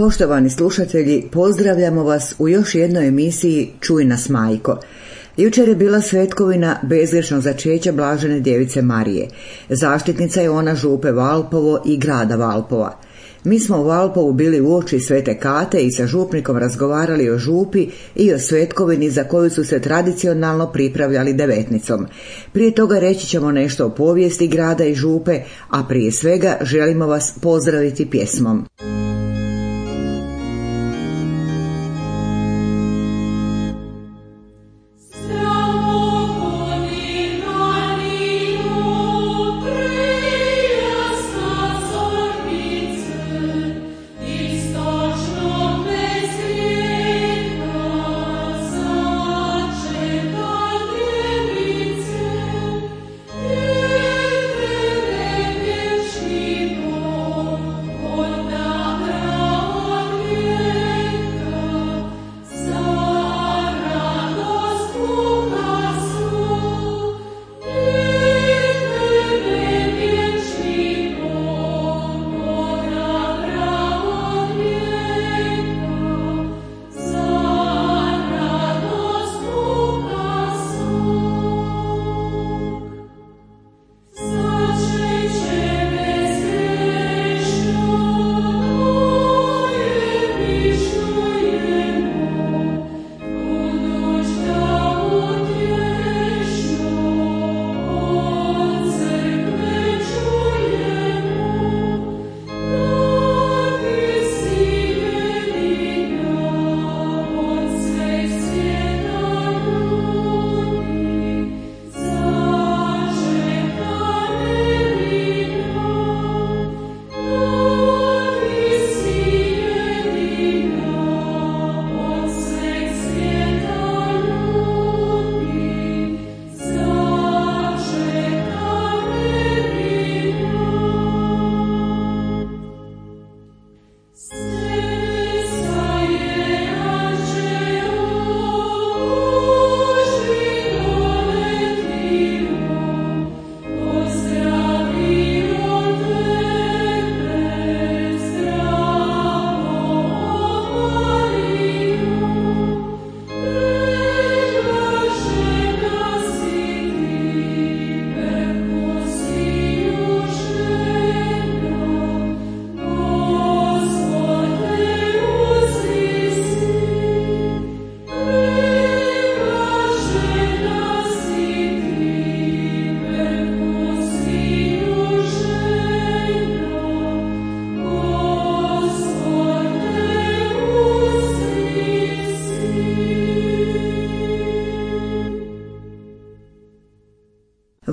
Poštovani slušatelji, pozdravljamo vas u još jednoj emisiji Čuj nas majko. Jučer je bila svetkovina bezgrešnog začeća Blažene djevice Marije. Zaštitnica je ona župe Valpovo i grada Valpova. Mi smo u Valpovu bili uoči Svete Kate i sa župnikom razgovarali o župi i o svetkovini za koju su se tradicionalno pripravljali devetnicom. Prije toga reći ćemo nešto o povijesti grada i župe, a prije svega želimo vas pozdraviti pjesmom.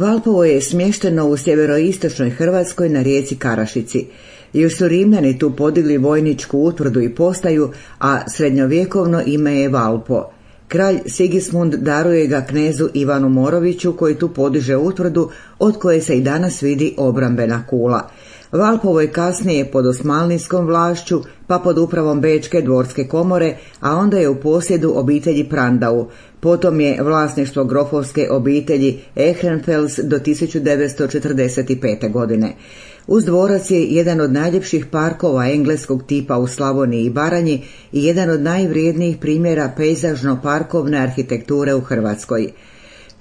Valpovo je smješteno u sjeveroistočnoj Hrvatskoj na rijeci Karašici. Još su Rimljani tu podigli vojničku utvrdu i postaju, a srednjovjekovno ime je Valpo. Kralj Sigismund daruje ga knezu Ivanu Moroviću koji tu podiže utvrdu od koje se i danas vidi obrambena kula. Valpovo je kasnije pod osmanlijskom vlašću, pa pod upravom Bečke dvorske komore, a onda je u posjedu obitelji Prandau. Potom je vlasništvo grofovske obitelji Ehrenfels do 1945. godine. Uz dvorac je jedan od najljepših parkova engleskog tipa u Slavoniji i Baranji i jedan od najvrijednijih primjera pejzažno-parkovne arhitekture u Hrvatskoj.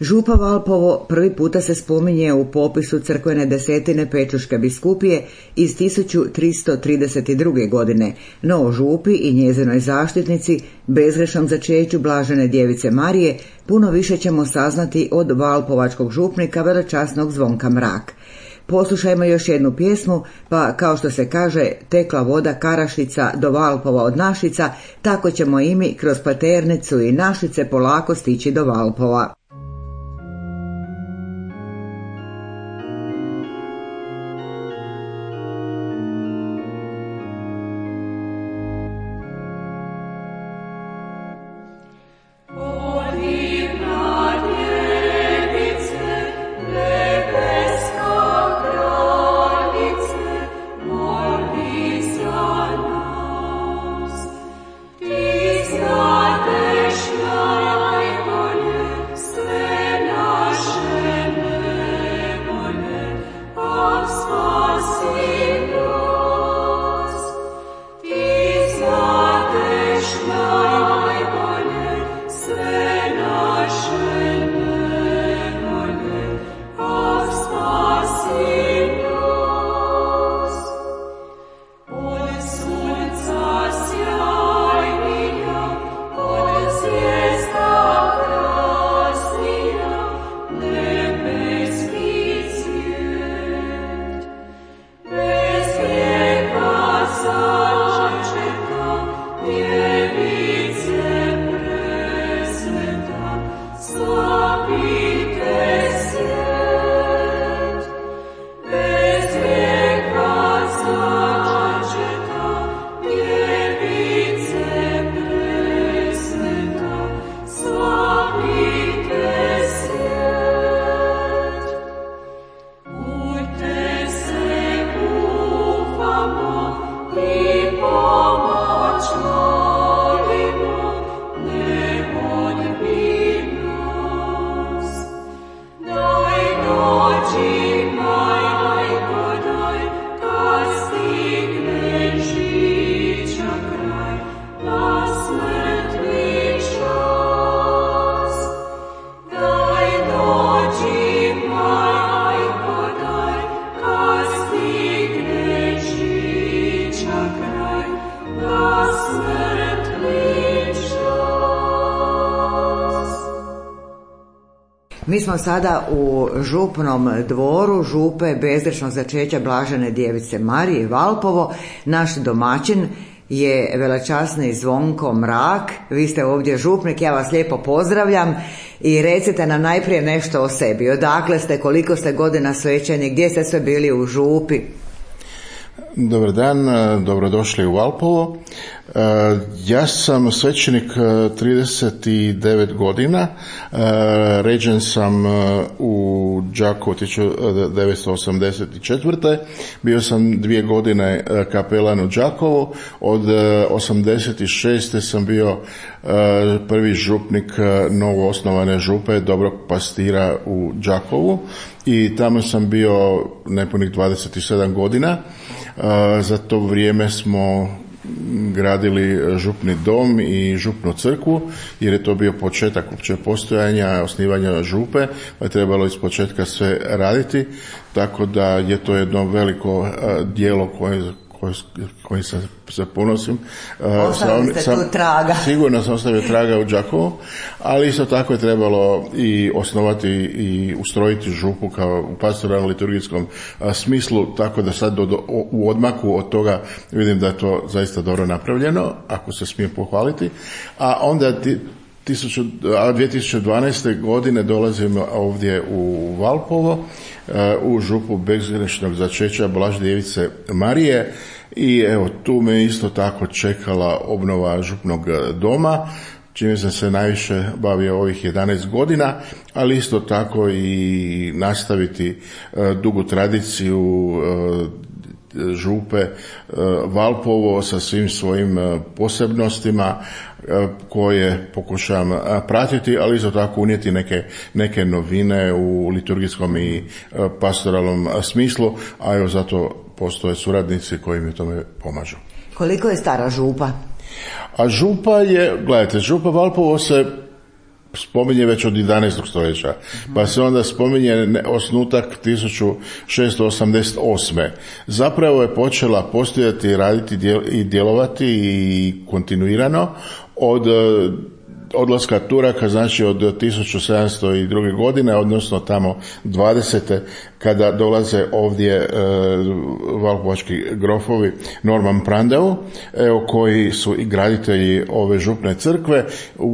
Župa Valpovo prvi puta se spominje u popisu crkvene desetine Pečuške biskupije iz 1332. godine, no o župi i njezinoj zaštitnici, bezgrešnom začeću Blažene djevice Marije, puno više ćemo saznati od valpovačkog župnika velečasnog Zvonka Mrak. Poslušajmo još jednu pjesmu, pa kao što se kaže, tekla voda Karašica do Valpova od Našica, tako ćemo i mi kroz Paternicu i Našice polako stići do Valpova. So Mi smo sada u župnom dvoru župe bezgrešnog začeća Blažene djevice Marije Valpovo. Naš domaćin je veličasni Zvonko Mrak. Vi ste ovdje župnik, ja vas lijepo pozdravljam i recite nam najprije nešto o sebi. Odakle ste, koliko ste godina svećeni, gdje ste sve bili u župi? Dobar dan, dobrodošli u Valpovo. Ja sam svećenik 39 godina, ređen sam u Đakovu 1984. Bio sam 2 godine kapelan u Đakovu, od 86. sam bio prvi župnik novo osnovane župe Dobrog Pastira u Đakovu i tamo sam bio nepunih 27 godina. Za to vrijeme smo gradili župni dom i župnu crkvu, jer je to bio početak uopće postojanja, osnivanja župe, pa je trebalo iz početka sve raditi, tako da je to jedno veliko djelo koji se ponosim. Ostavili ste tu traga. Sigurno sam ostavio traga u Đakovu, ali isto tako je trebalo i osnovati i ustrojiti župu kao u pastoralno liturgijskom smislu, tako da sad u odmaku od toga vidim da je to zaista dobro napravljeno, ako se smije pohvaliti. A onda 2012. godine dolazimo ovdje u Valpovo, u župu bezgrešnog začeća Blažene djevice Marije i evo tu me isto tako čekala obnova župnog doma, čime sam se najviše bavio ovih 11 godina, ali isto tako i nastaviti dugu tradiciju župe Valpovo sa svim svojim posebnostima koje pokušavam pratiti, ali isto tako unijeti neke novine u liturgijskom i pastoralnom smislu, a evo zato postoje suradnici koji mi tome pomažu. Koliko je stara župa? A župa je, gledajte, župa Valpovo se spominje već od 11. stoljeća, pa se onda spominje osnutak 1688. Zapravo je počela postojati, raditi i djelovati i kontinuirano od odlaska Turaka, znači od 1702. godine, odnosno tamo 20. kada dolaze ovdje valpovački grofovi Norman Prandeu, koji su i graditelji ove župne crkve.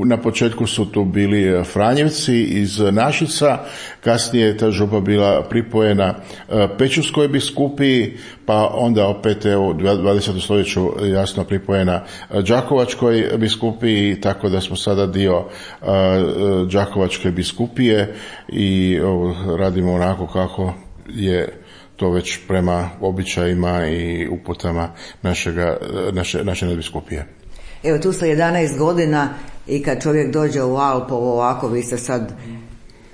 Na početku su tu bili Franjevci iz Našica, kasnije je ta župa bila pripojena Pećuskoj biskupiji, pa onda opet u 20. stoljeću jasno pripojena Đakovačkoj biskupiji, tako da smo sada dio Đakovačke biskupije i radimo onako kako je to već prema običajima i uputama naše nadbiskupije. Evo tu ste 11 godina i kad čovjek dođe u Valpovo ovako, vi ste sad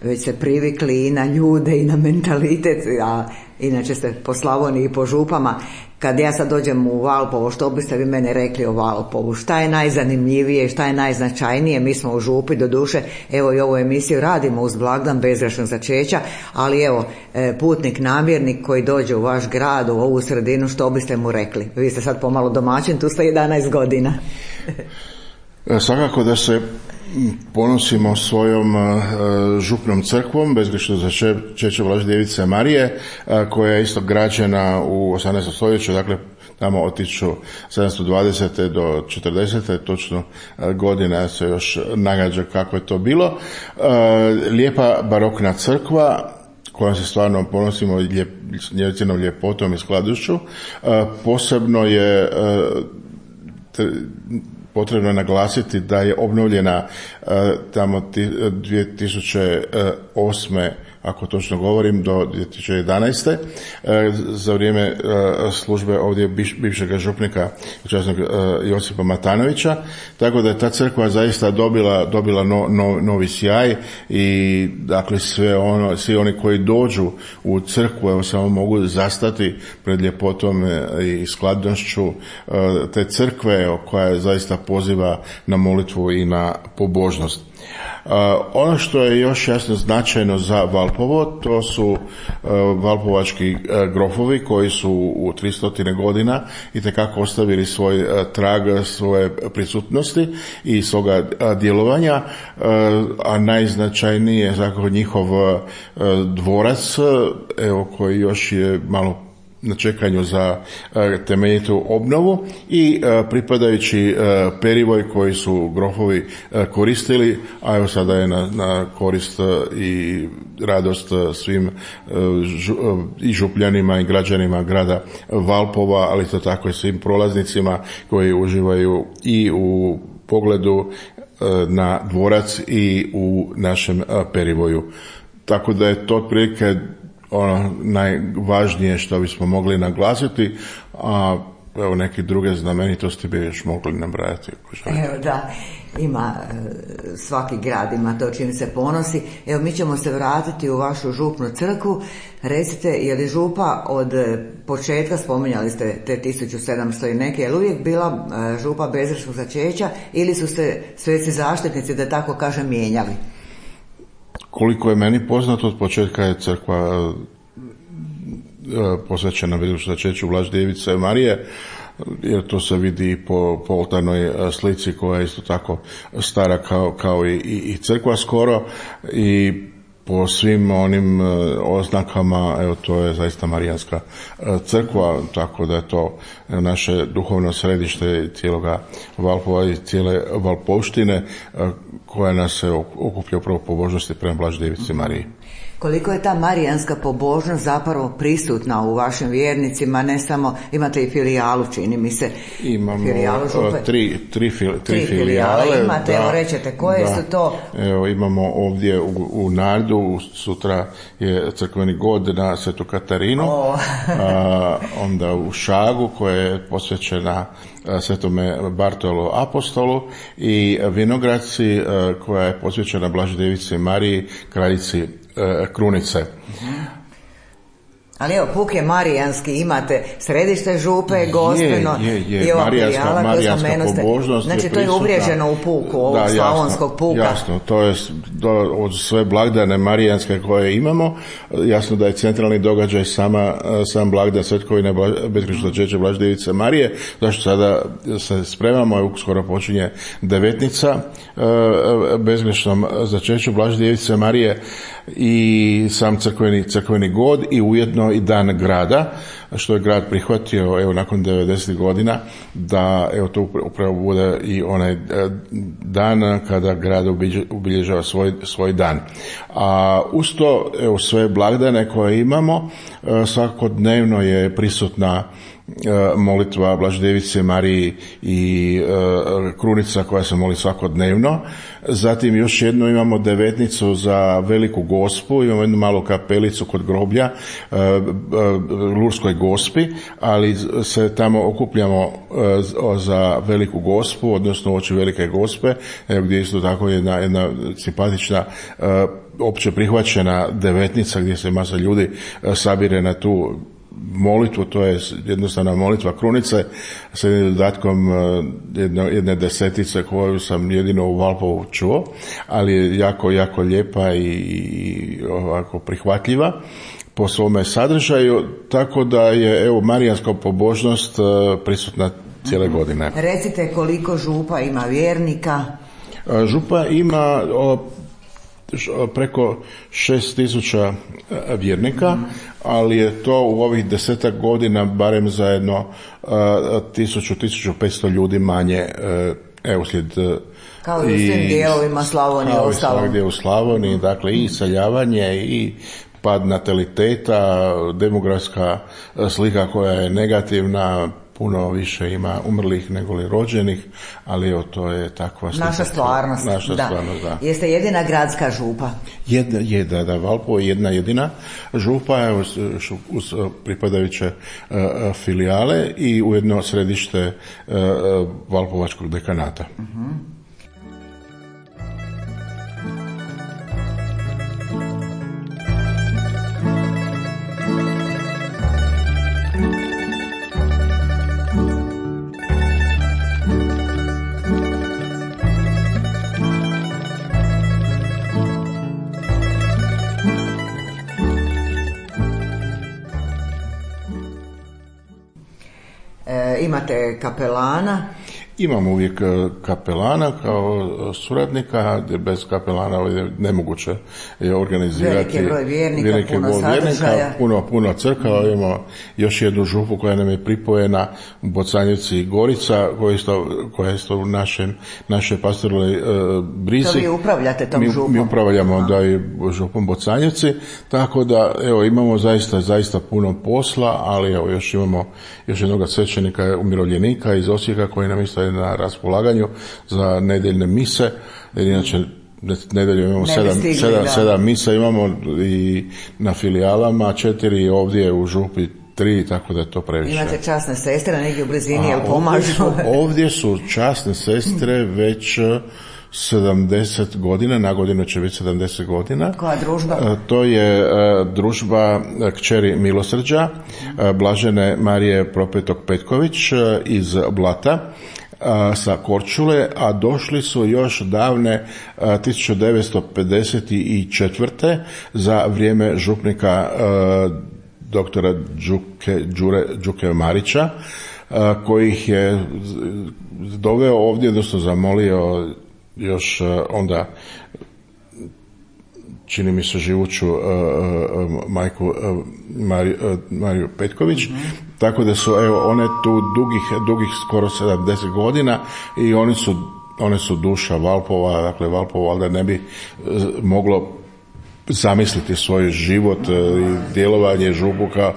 već se privikli i na ljude i na mentalitet, a inače ste po Slavoniji i po župama. Kad ja sad dođem u Valpovo, što biste vi mene rekli o Valpovu? Šta je najzanimljivije, šta je najznačajnije? Mi smo u župi, doduše, evo i ovu emisiju radimo uz blagdan bezgrešnog začeća, ali evo, putnik, namjernik koji dođe u vaš grad, u ovu sredinu, što biste mu rekli? Vi ste sad pomalo domaćin, tu ste 11 godina. Svakako da se ponosimo svojom župnom crkvom bezgrešnog začeća Blažene djevice Marije, koja je isto građena u 18. stoljeću, dakle tamo od 1720. do 40. točno godina se još nagađa kako je to bilo. Lijepa barokna crkva kojom se stvarno ponosimo njecinom ljepotom i skladošću. Posebno je potrebno naglasiti da je obnovljena tamo 2008. ako točno govorim, do 2011. Za vrijeme službe ovdje bivšeg župnika časnog Josipa Matanovića, tako da je ta crkva zaista dobila novi sjaj i dakle svi oni koji dođu u crkvu evo samo mogu zastati pred ljepotom i skladnošću te crkve koja zaista poziva na molitvu i na pobožnost. Ono što je još jasno značajno za Valpovo Valpovo. To su valpovački grofovi koji su u 300 godina itekako ostavili svoj trag svoje prisutnosti i svoga djelovanja, a najznačajniji je zapravo njihov dvorac, evo, koji još je malo na čekanju za temeljitu obnovu, i pripadajući perivoj koji su grofovi koristili, a evo sada je na korist i radost svim i župljanima i građanima grada Valpova, ali to tako i svim prolaznicima koji uživaju i u pogledu na dvorac i u našem perivoju. Tako da je to otprilike ono najvažnije što bismo mogli naglasiti, a evo neke druge znamenitosti bi još mogli nabrajati. Evo da, ima, svaki grad ima to čim se ponosi. Evo, mi ćemo se vratiti u vašu župnu crkvu. Recite, je li župa od početka, spominjali ste te 1700 i neke, je li uvijek bila župa bezgrešnog začeća ili su se sveci zaštitnici, da tako kažem, mijenjali? Koliko je meni poznato, od početka je crkva posvećena bezgrešnom začeću Blaždjevice Marije, jer to se vidi i po oltarnoj slici koja je isto tako stara kao i crkva skoro, i po svim onim oznakama, evo, to je zaista marijanska crkva, tako da je to naše duhovno središte cijeloga Valpova i cijele Valpovštine, koja nas se okuplja upravo pobožnosti prema Blaždjevici Mariji. Koliko je ta marijanska pobožnost zapravo prisutna u vašim vjernicima, ne samo, imate i filijalu, čini mi se. Imamo tri filijale. Imate, evo, rećete, koje su to? Evo, imamo ovdje u Nardu, sutra je crkveni god na Svetu Katarinu, onda u Šagu koja je posvećena Svetome Bartolu Apostolu, i Vinogradci koja je posvećena Blaždjevici Mariji, kraljici Krunice. Ali evo, puk je marijanski, imate središte župe, Gospeno i ova filijala koju spomenuste. Znači, to je uvriježeno u puku, ovog slavonskog puka. Jasno, to je od sve blagdane marijanske koje imamo. Jasno da je centralni događaj sam blagdan Svetkovine bezgrešnog začeća Blaždjevice Marije, zašto sada se spremamo, i uskoro počinje devetnica bezgrešnom začeću Blaždjevice Marije, i sam crkveni god, i ujedno i dan grada, što je grad prihvatio, evo, nakon 90 godina, da, evo, to upravo bude i onaj dan kada grad obilježava svoj dan. A uz to, evo, sve blagdane koje imamo, svakodnevno je prisutna molitva Blaždjevice Mariji i Krunica koja se moli svakodnevno. Zatim još jednu imamo devetnicu za Veliku Gospu, imamo jednu malu kapelicu kod groblja Lurskoj Gospi, ali se tamo okupljamo za Veliku Gospu, odnosno oči Velike Gospe, gdje isto tako jedna simpatična opće prihvaćena devetnica gdje se masa ljudi sabire na tu molitvu. To je jednostavna molitva Krunice sa jednim dodatkom jedne desetice koju sam jedino u Valpovu čuo, ali je jako, jako lijepa i ovako prihvatljiva po svome sadržaju, tako da je, evo, marijanska pobožnost prisutna cijele godine. Recite, koliko župa ima vjernika? Župa ima preko 6.000 vjernika, ali je to u ovih 10 godina barem zajedno 1.000-1.500 ljudi manje, uslijed kao i u svim dijelovima Slavonije ostalo. Kao gdje u Slavoniji, dakle, i iseljavanje i pad nataliteta, demografska slika koja je negativna, puno više ima umrlih nego li rođenih, ali evo, to je takva slika. Naša stvarnost. Da. Jeste jedina gradska župa? Da, Valpovo je jedna jedina župa, evo, uz pripadajuće filijale i ujedno središte Valpovačkog dekanata. Imate kapelana? Imamo uvijek kapelana kao suradnika, bez kapelana je nemoguće organizirati veliki broj vjernika, puno crkava. Imamo još jednu župu koja nam je pripojena u Bocanjevci Gorica, koja je isto u našoj pastoralnoj brizi. To vi upravljate tom župom? Mi upravljamo da i župom Bocanjevci, tako da evo imamo zaista puno posla, ali evo još imamo jednog svećenika umirovljenika iz Osijeka koji nam isto je na raspolaganju za nedjeljne mise, jer inače nedelju imamo 7 misa imamo i na filijalama, 4 ovdje u župi 3, tako da je to previše. Imate časne sestre negdje u blizini, jel pomažu? Ovdje su časne sestre već 70 godina, na godinu će biti 70 godina. Koja družba? To je družba kćeri Milosrđa, Blažene Marije Propetog Petković iz Blata, sa Korčule, a došli su još davne 1954. za vrijeme župnika doktora Đuke Marića, koji ih je doveo ovdje, odnosno zamolio još onda čini mi se živuću majku Mariju Petković, tako da su one tu dugih skoro 70 godina i one su duša Valpova, dakle Valpovo valjda ne bi moglo zamisliti svoj život i djelovanje župuka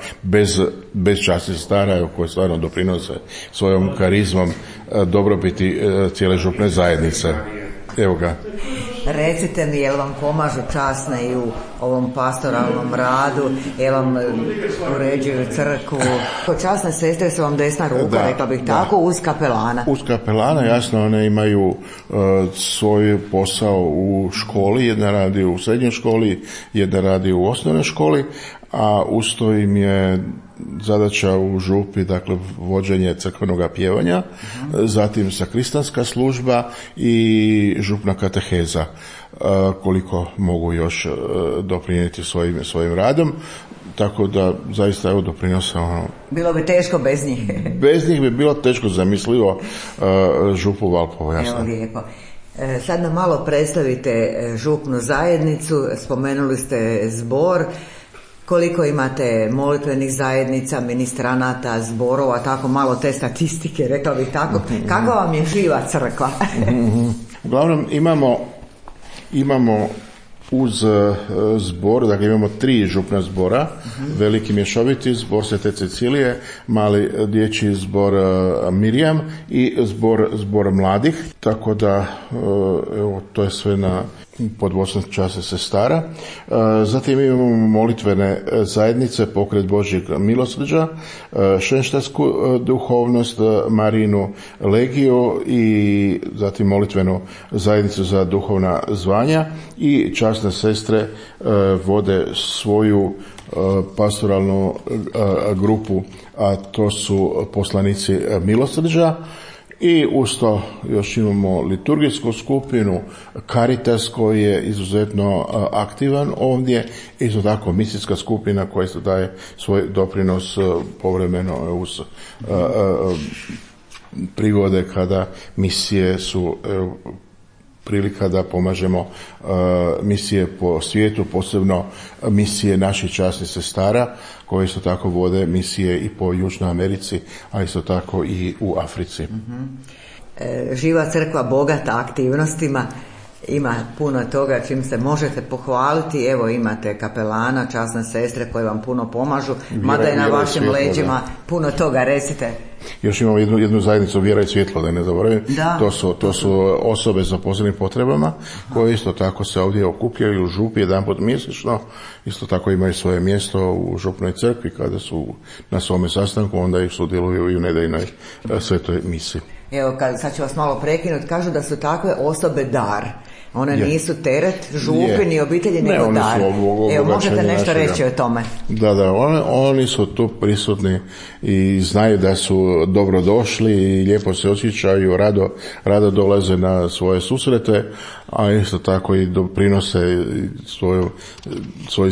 bez časnih stara koji stvarno doprinose svojom karizmom dobrobiti cijele župne zajednice. Evo ga. Recite mi, jel vam pomažu časne i u ovom pastoralnom radu, jel vam uređuju crkvu? Kod časne sestre su vam desna ruka, rekla bih tako, uz kapelana. Uz kapelana, jasno, one imaju svoj posao u školi, jedna radi u srednjoj školi, jedna radi u osnovnoj školi, a usto im je zadaća u župi, dakle, vođenje crkvenog pjevanja, zatim sakristanska služba i župna kateheza, koliko mogu još doprinijeti svojim radom. Tako da zaista evo doprinose Bilo bi teško bez njih. Bez njih bi bilo teško zamislivo župu Valpovo, jasno. Evo lijepo. Sad nam malo predstavite župnu zajednicu, spomenuli ste zbor. Koliko imate molitvenih zajednica, ministranata, zborova, tako malo te statistike, rekla bih tako. Kako vam je živa crkva? Uglavnom imamo uz zbor, dakle imamo 3 župna zbora, veliki mješoviti zbor Svete Cecilije, mali dječji zbor Mirjam i zbor mladih, tako da evo, to je sve pod vodstvom časne sestara. Zatim imamo molitvene zajednice, Pokret Božjeg milosrđa, šenštarsku duhovnost, Marinu legiju i zatim molitvenu zajednicu za duhovna zvanja i časne sestre vode svoju pastoralnu grupu, a to su poslanici milosrđa. I usto još imamo liturgijsku skupinu, Caritas koji je izuzetno aktivan ovdje, isto tako misijska skupina koja se daje svoj doprinos povremeno uz prigode kada misije su prilika da pomažemo misije po svijetu, posebno misije naših časnih sestara koje isto tako vode misije i po Južnoj Americi, a isto tako i u Africi. Živa crkva bogata aktivnostima, ima puno toga čim se možete pohvaliti. Evo imate kapelana, časne sestre koje vam puno pomažu, mada je na vašim leđima puno toga, recite. Još imamo jednu zajednicu Vjera i svjetlo, da ne zaboravim. To su osobe sa posebnim potrebama koje isto tako se ovdje okupljaju u župi jedanput mjesečno. Isto tako imaju svoje mjesto u župnoj crkvi kada su na svome sastanku, onda ih sudjeluju i u nedeljnoj svetoj misi. Evo, sad ću vas malo prekinuti, kažu da su takve osobe dar. One nisu teret župi ni obitelji, nego dar. Evo, možete nešto reći o tome? Da, oni su tu prisutni i znaju da su dobro došli i lijepo se osjećaju, rado dolaze na svoje susrete, a isto tako i doprinose svoj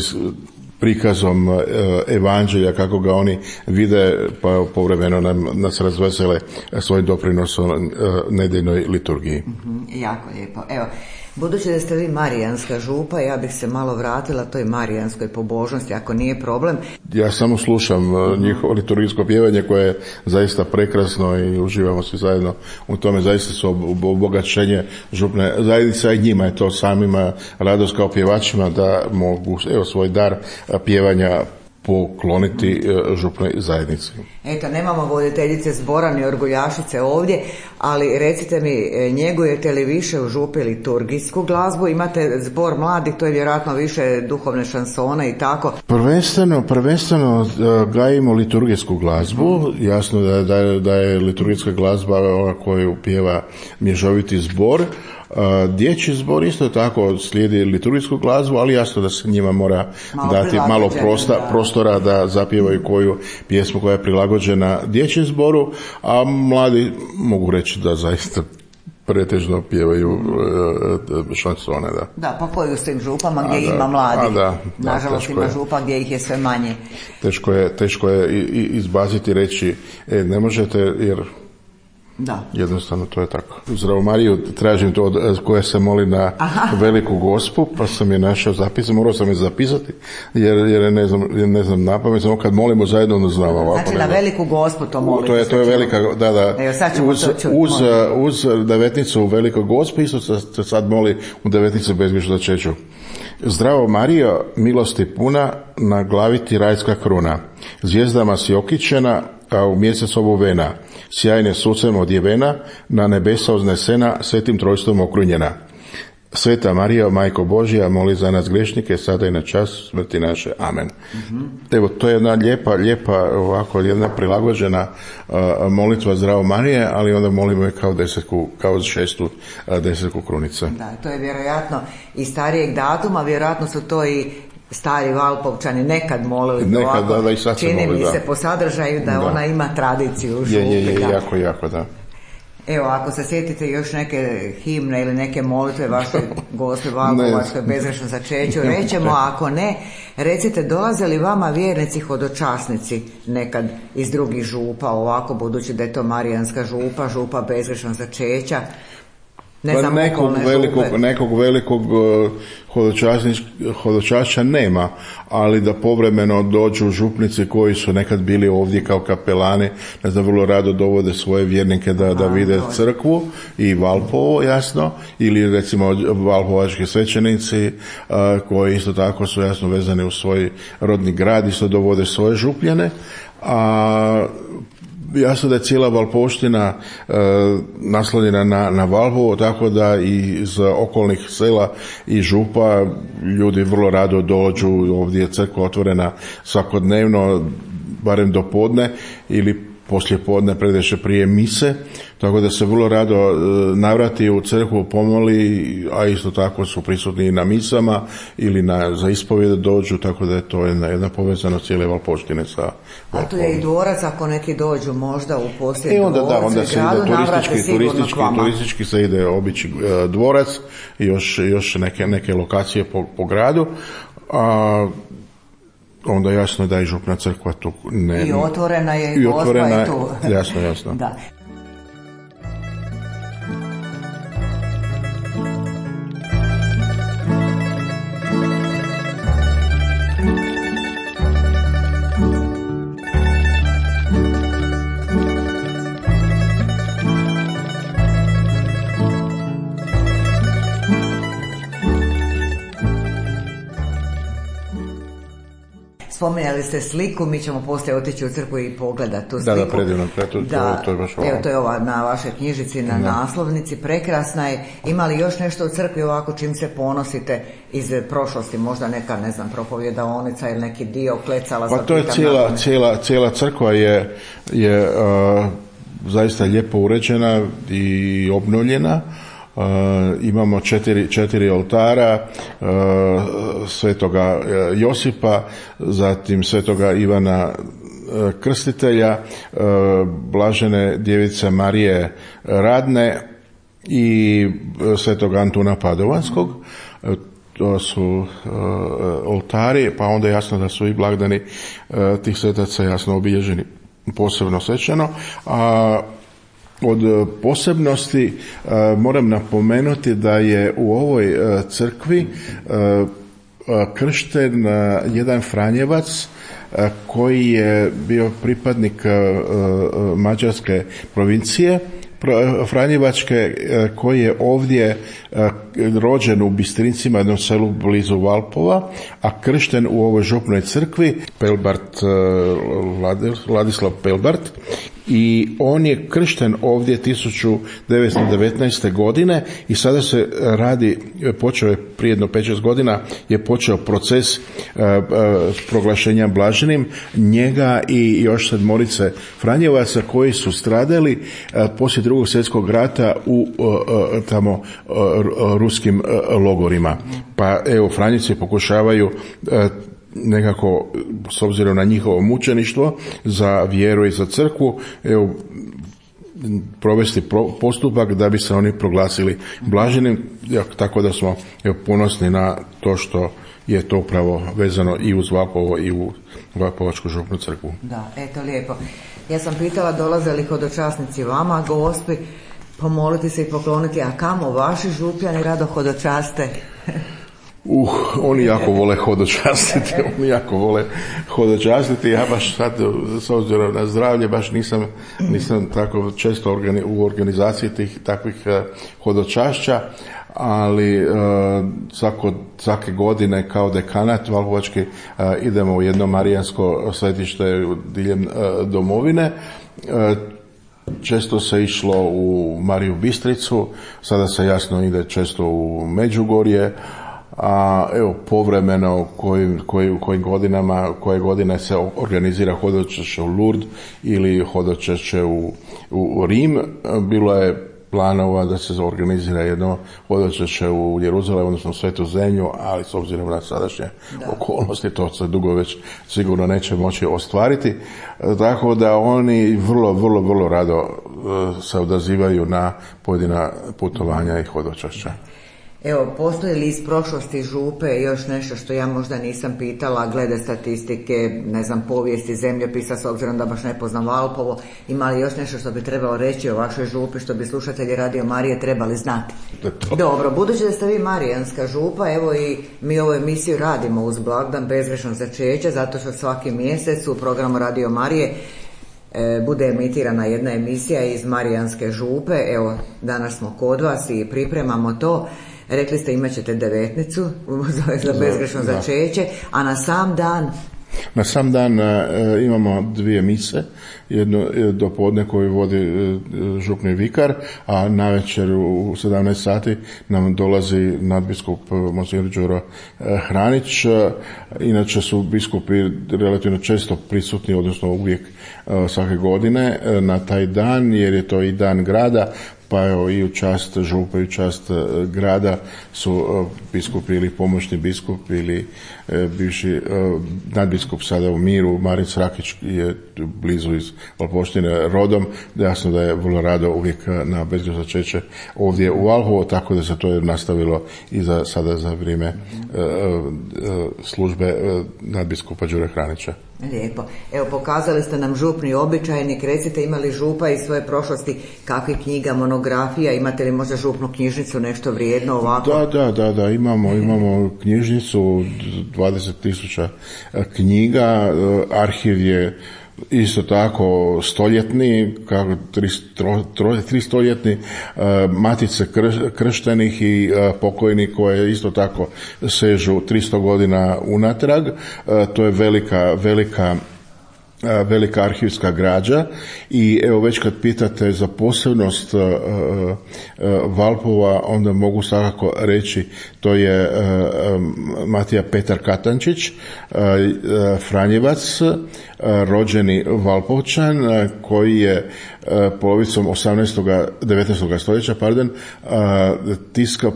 prikazom evanđelja, kako ga oni vide, pa povremeno nas razvesele svojim doprinosom nedjeljnoj liturgiji. Jako lijepo. Evo, budući da ste vi marijanska župa, ja bih se malo vratila toj marijanskoj pobožnosti, ako nije problem. Ja samo slušam njihovo liturgijsko pjevanje koje je zaista prekrasno i uživamo svi zajedno u tome. Zaista su obogaćenje župne zajednice, i njima je to samima radost kao pjevačima da mogu svoj dar pjevanja pokloniti župnoj zajednici. Eto, nemamo voditeljice zbora ni orguljašice ovdje, ali recite mi, njegujete li više u župi liturgijsku glazbu? Imate zbor mladih, to je vjerojatno više duhovne šansone i tako. Prvenstveno gajimo liturgijsku glazbu. Jasno da je liturgijska glazba ova koju pjeva mješoviti zbor. Dječji zbor isto tako slijedi liturgijsku glazbu, ali jasno da se njima mora dati malo prostora da zapjevaju koju pjesmu koja je prilagođena dječjem zboru, a mladi mogu reći da zaista pretežno pjevaju šansone. Da, pa koji u svim župama gdje ima mladih. Nažalost ima župa gdje ih je sve manje. Teško je izbaciti, reći ne možete jer da. Jednostavno to je tako. Zdravo Mariju tražim to koja se moli na Veliku Gospu, pa sam je našao zapis, morao sam je zapisati jer ne znam napamet, samo kad molimo zajedno onda znamo ovako. Znači na Veliku Gospu to molite. To je velika, da. Evo, sad ćemo uz devetnicu u Velikoj Gospi isto se sad moli u devetnicu bezgrešnu začeću. Zdravo Marijo, milosti puna, na glavi ti rajska kruna, zvijezdama si okićena, a u mjesec obuvena, sjajne sucem odjevena, na nebesa uznesena, svetim trojstvom okrunjena. Sveta Marija, Majko Božja, moli za nas grešnike, sada i na čas smrti naše. Amen. Evo, to je jedna lijepa, ovako, jedna prilagođena molitva Zdravo Marije, ali onda molimo je kao šestu desetku krunice. Da, to je vjerojatno i starijeg datuma, vjerojatno su to i stari Valpovčani nekad molili ovako. Da, i sad se čini moli, mi se po sadržaju da ona ima tradiciju u župi. Jako, da. Evo, ako se sjetite još neke himne ili neke molitve vaše Gospe Valpovačkoj bezgrešnom začeću, rećemo, ako ne, recite, dolaze li vama vjernici hodočasnici nekad iz drugih župa, ovako, budući da je to marijanska župa bezgrešnog začeća? Nekog velikog hodočašća nema, ali da povremeno dođu župnici koji su nekad bili ovdje kao kapelani, da vrlo rado dovode svoje vjernike da vide crkvu i Valpovo, jasno, ili recimo valpovački svećenici koji isto tako su jasno vezani u svoj rodni grad, isto dovode svoje župljane, a jasno da je cijela Valpovština naslonjena na Valpovo, tako da i iz okolnih sela i župa ljudi vrlo rado dođu, ovdje je crkva otvorena svakodnevno, barem do podne ili poslije podne predveče prije mise, tako da se vrlo rado navrati u crkvu, pomoli, a isto tako su prisutni i na misama ili za ispovjede dođu, tako da je to jedna povezanost cijele Valpovštine sa Valpovom. A tu je i dvorac, ako neki dođu možda u posjet onda se ide turistički se ide obići dvorac i još neke lokacije po gradu, a onda jasno da i župna crkva tu ne... I otvorena je, i Gospa je tu. Jasno. Da. Spominjali ste sliku, mi ćemo poslije otići u crkvu i pogledati tu sliku. Da, predivno, to je baš ovo. Evo, to je ova na vašoj knjižici, na naslovnici, prekrasna je. Ima li još nešto u crkvi ovako čim se ponosite iz prošlosti, možda neka, ne znam, propovjedaonica ili neki dio klecala? Pa to je cijela crkva je zaista lijepo uređena i obnovljena. Imamo četiri oltara, svetoga Josipa, zatim svetoga Ivana Krstitelja, blažene djevice Marije Radne i svetoga Antuna Padovanskog. to su oltari, pa onda jasno da su i blagdani tih svetaca jasno obilježeni posebno svečano. A od posebnosti moram napomenuti da je u ovoj crkvi kršten jedan Franjevac koji je bio pripadnik mađarske provincije Franjevačke, koji je ovdje rođen u Bistrincima, jednom selu blizu Valpova, a kršten u ovoj župnoj crkvi, Vladislav Pelbart, i on je kršten ovdje 1919. godine i sada se radi, počeo je prije jedno 5-6 godina, je počeo proces proglašenja blaženim njega i još 7 Franjevaca koji su stradali poslije Drugog svjetskog rata u tamo ruskim logorima. Pa evo, Franjevci pokušavaju nekako, s obzirom na njihovo mučeništvo za vjeru i za crkvu, evo, provesti postupak da bi se oni proglasili blaženim, tako da smo ponosni na to što je to upravo vezano i uz Valpovo i u Valpovačku župnu crkvu. Da, eto lijepo. Ja sam pitala dolaze li hodočasnici vama, gospi, pomoliti se i pokloniti, a kamo vaši župljani rado hodočaste? Oni jako vole hodočastiti, ja baš sad, s obzirom na zdravlje, baš nisam tako često u organizaciji takvih hodočašća, ali svake godine kao dekanat Valpovački idemo u jedno marijansko svetište diljem domovine. Često se išlo u Mariju Bistricu, sada se jasno ide često u Međugorje, a evo povremeno koje godine se organizira hodočašće u Lourdes ili hodočašće u Rim. Bilo je planova da se organizira jedno hodočašće u Jeruzalemu, odnosno u Svetu Zemlju, ali s obzirom na sadašnje okolnosti to se dugo već sigurno neće moći ostvariti. Tako da oni vrlo rado se odazivaju na pojedina putovanja i hodočašća. Evo, postoji li iz prošlosti župe još nešto što ja možda nisam pitala, glede statistike, ne znam, povijesti, zemljopisa, s obzirom da baš ne poznam Valpovo, ima li još nešto što bi trebalo reći o vašoj župi, što bi slušatelji Radio Marije trebali znati? Dobro, budući da ste vi marijanska župa, evo i mi ovu emisiju radimo uz blagdan bezgrešnog začeća, zato što svaki mjesec u programu Radio Marije bude emitirana jedna emisija iz marijanske župe. Evo, danas smo kod vas i pripremamo to. Rekli ste imat ćete 9. za bezgrešno začeće, a na sam dan? Na sam dan imamo 2 mise, jedno dopodne koju vodi župni vikar, a navečer u 17 sati nam dolazi nadbiskup Monsignor Đuro Hranić. Inače su biskupi relativno često prisutni, odnosno uvijek svake godine na taj dan, jer je to i dan grada, pa evo i u čast župe i u čast grada su biskupi ili pomoćni biskup ili bivši nadbiskup sada u miru, Marin Srakić je blizu iz Valpovštine rodom, jasno da je vrlo rado uvijek na bezgrešno začeće ovdje u Valpovu, tako da se to je nastavilo i sada za vrijeme službe nadbiskupa Đure Hranića. Lijepo. Evo, pokazali ste nam župni običajnik, recite, imali župa iz svoje prošlosti kakvih knjiga, monografija, imate li možda župnu knjižnicu, nešto vrijedno ovako? Da, imamo knjižnicu, 20.000 knjiga, arhiv je isto tako stoljetni, kako 300-ljetni, matice krštenih i pokojnih koje isto tako sežu 300 godina unatrag. To je velika arhivska građa i evo već kad pitate za posebnost Valpova, onda mogu svakako reći to je Matija Petar Katančić, Franjevac, rođeni Valpovčan koji je polovicom 19. stoljeća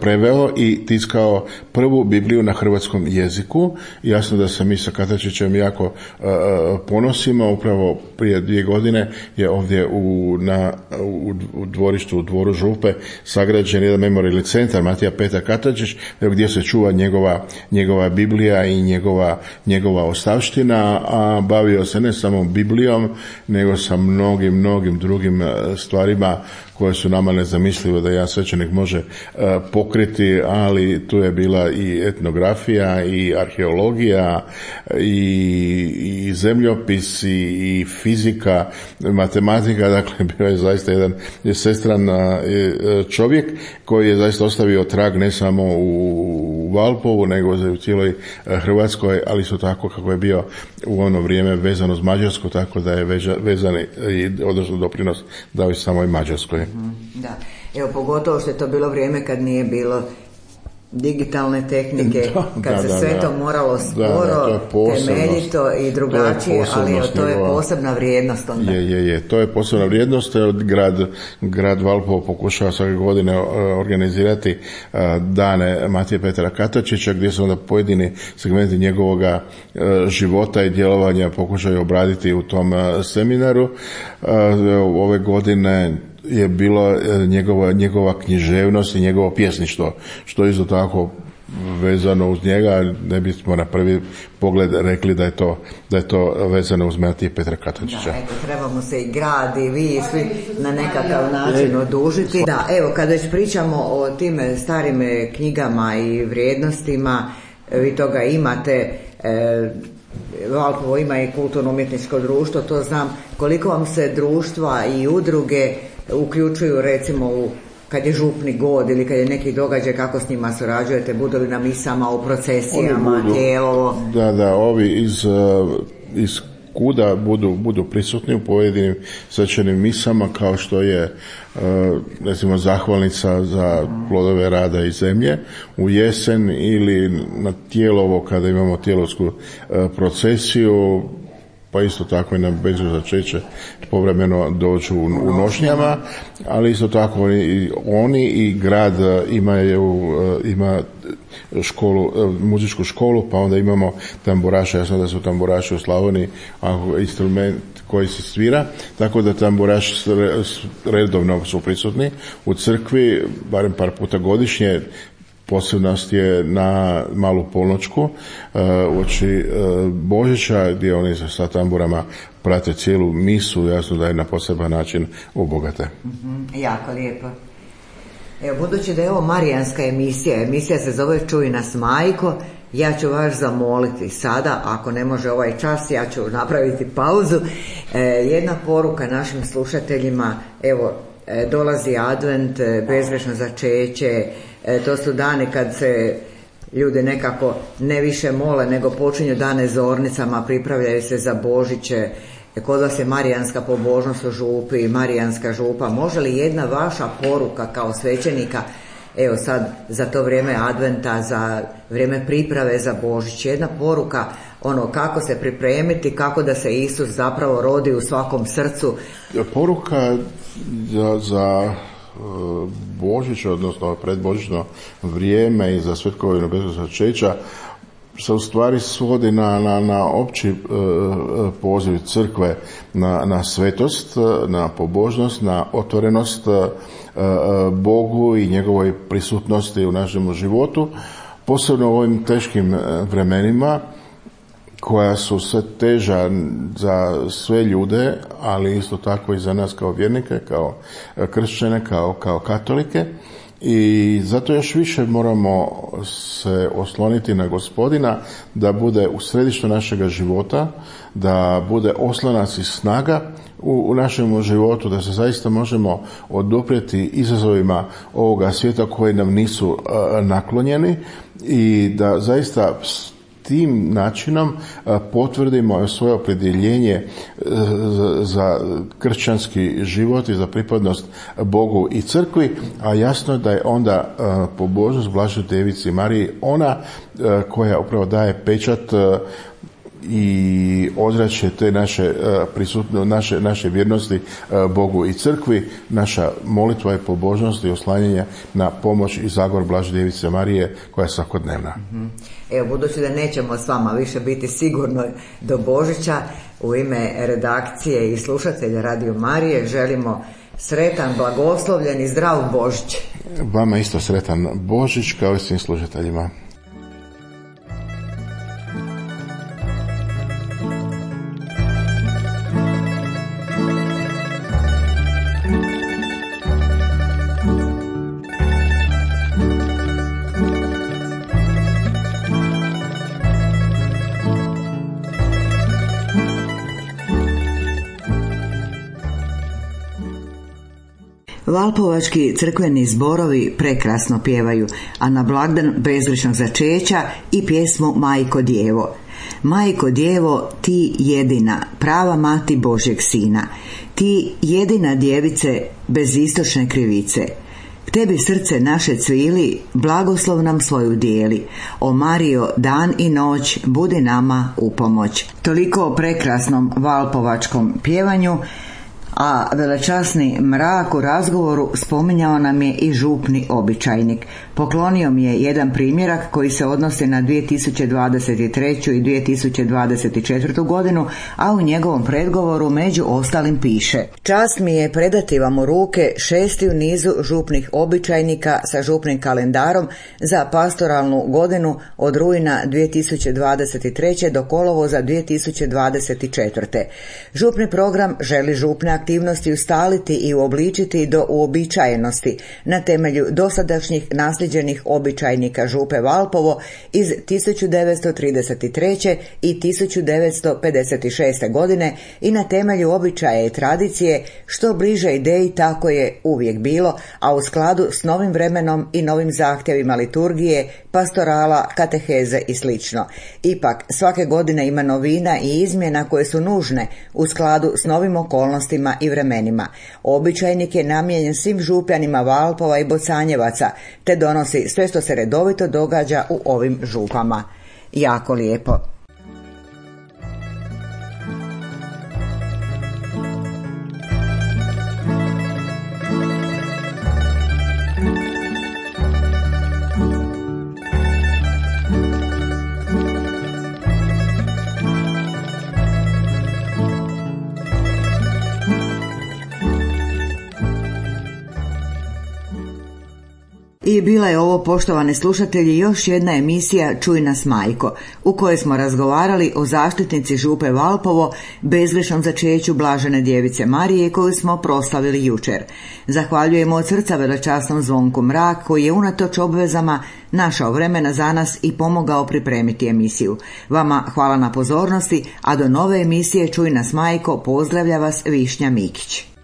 preveo i tiskao prvu Bibliju na hrvatskom jeziku. Jasno da se mi sa Katačićem jako ponosimo. Upravo prije 2 godine je ovdje u dvorištu, u dvoru Župe sagrađen jedan memorijalni centar Matija Petar Katačić, gdje se čuva njegova Biblija i njegova ostavština, a bavio se ne samo Biblijom, nego sa mnogim drugim stvarima koje su nama nezamislive da jedan svećenik može pokriti, ali tu je bila i etnografija i arheologija i zemljopis i fizika, matematika. Dakle, bio je zaista jedan sestran čovjek koji je zaista ostavio trag ne samo u Valpovu, nego u cijeloj Hrvatskoj, ali isto tako kako je bio u ono vrijeme vezano s Mađarskom, tako da je vezan i odnosno doprinos dao i samoj Mađarskoj. Da, evo pogotovo što je to bilo vrijeme kad nije bilo digitalne tehnike, kad se sve to moralo sporo, temeljito i drugačije, ali to je posebna vrijednost onda. To je posebna vrijednost. Grad Valpovo pokušava svake godine organizirati dane Matije Petra Katačića, gdje se onda pojedini segmenti njegovoga života i djelovanja pokušaju obraditi u tom seminaru. Ove godine je bilo njegova književnost i njegovo pjesništvo, što je isto tako vezano uz njega. Ne bismo na prvi pogled rekli da je to vezano uz Matije Petra Katačića. Da, trebamo se i grad i vi svi na nekakav način odužiti. Da, evo, kad već pričamo o tim starim knjigama i vrijednostima, vi toga imate, Valpovo ima i kulturno-umjetničko društvo, to znam. Koliko vam se društva i udruge uključuju recimo kad je župni god ili kad je neki događaj, kako s njima surađujete, budu li na misama, u procesijama, Tijelovo? Da, ovi iz kuda budu prisutni u pojedinim svečanim misama, kao što je recimo zahvalnica za plodove rada i zemlje u jesen, ili na Tijelovo kada imamo tijelovsku procesiju, pa isto tako i na Bežu začeće povremeno dođu u nošnjama, ali isto tako oni i grad ima školu, muzičku školu, pa onda imamo tamburaše. Jasno da su tamburaši u Slavoniji instrument koji se svira, tako da tamburaši redovno su prisutni u crkvi, barem par puta godišnje. Posebnost je na Malu polnoćku uoči Božića, gdje oni sa tamburama prate cijelu misu. Jasno da je na poseban način obogate. Jako lijepo. Evo, budući da je ovo marijanska emisija se zove Čuj nas majko, ja ću vas zamoliti sada, ako ne može ovaj čas, ja ću napraviti pauzu. Jedna poruka našim slušateljima, evo, dolazi advent, bezgrešno začeće, to su dani kad se ljudi nekako ne više mole, nego počinju dane zornicama, pripravljaju se za Božiće. Kod vas je marijanska pobožnost u župi, marijanska župa. Može li jedna vaša poruka kao svećenika, evo sad za to vrijeme adventa, za vrijeme priprave za Božić, jedna poruka kako se pripremiti, kako da se Isus zapravo rodi u svakom srcu? Poruka za Božić, odnosno predbožićno vrijeme i za svetkovinu Bezgrešnog začeća se u stvari svodi na opći poziv crkve na svetost, na pobožnost, na otvorenost Bogu i njegovoj prisutnosti u našem životu, posebno u ovim teškim vremenima koja su sve teža za sve ljude, ali isto tako i za nas kao vjernike, kao kršćane, kao katolike. I zato još više moramo se osloniti na Gospodina, da bude u središtu našega života, da bude oslonac i snaga u našem životu, da se zaista možemo oduprijeti izazovima ovoga svijeta koji nam nisu naklonjeni i da zaista tim načinom potvrdimo svoje opredjeljenje za kršćanski život i za pripadnost Bogu i crkvi, a jasno je da je onda pobožnost Blaženoj Devici Mariji ona koja upravo daje pečat i ozračje te naše vjernosti Bogu i crkvi, naša molitva i pobožnost i oslanjanje na pomoć i zagor Blaže Djevice Marije koja je svakodnevna. Evo, budući da nećemo s vama više biti sigurno do Božića, u ime redakcije i slušatelja Radio Marije želimo sretan, blagoslovljen i zdrav Božić. Vama isto sretan Božić kao i svim slušateljima. Valpovački crkveni zborovi prekrasno pjevaju, a na blagdan bezgrešnog začeća i pjesmu Majko Djevo. Majko Djevo, ti jedina, prava mati Božjeg sina, ti jedina djevice bez istočne krivice. K tebi srce naše cvili, blagoslov nam svoju dijeli. O Marijo, dan i noć, budi nama u pomoć. Toliko o prekrasnom valpovačkom pjevanju, a velečasni Mrak u razgovoru spominjao nam je i župni običajnik. Poklonio mi je jedan primjerak koji se odnosi na 2023. i 2024. godinu, a u njegovom predgovoru među ostalim piše: čast mi je predati vam u ruke 6. u nizu župnih običajnika sa župnim kalendarom za pastoralnu godinu od rujna 2023. do kolovoza 2024. Župni program želi župne aktivnosti ustaliti i uobličiti do uobičajenosti na temelju dosadašnjih nasljeđenih običajnika župe Valpovo iz 1933. i 1956. godine i na temelju običaja i tradicije što bliže ideji tako je uvijek bilo, a u skladu s novim vremenom i novim zahtjevima liturgije, pastorala, kateheze i sl. Ipak, svake godine ima novina i izmjena koje su nužne u skladu s novim okolnostima i vremenima. Običajnik je namijenjen svim župljanima Valpova i Bocanjevaca, te donosi sve što se redovito događa u ovim župama. Jako lijepo. I bila je ovo, poštovani slušatelji, još jedna emisija Čuj nas majko, u kojoj smo razgovarali o zaštitnici župe Valpovo, bezgrešnom začeću Blažene Djevice Marije, koju smo proslavili jučer. Zahvaljujemo od srca velečasnom Zvonku Mrak, koji je unatoč obvezama našao vremena za nas i pomogao pripremiti emisiju. Vama hvala na pozornosti, a do nove emisije Čuj nas majko pozdravlja vas Višnja Mikić.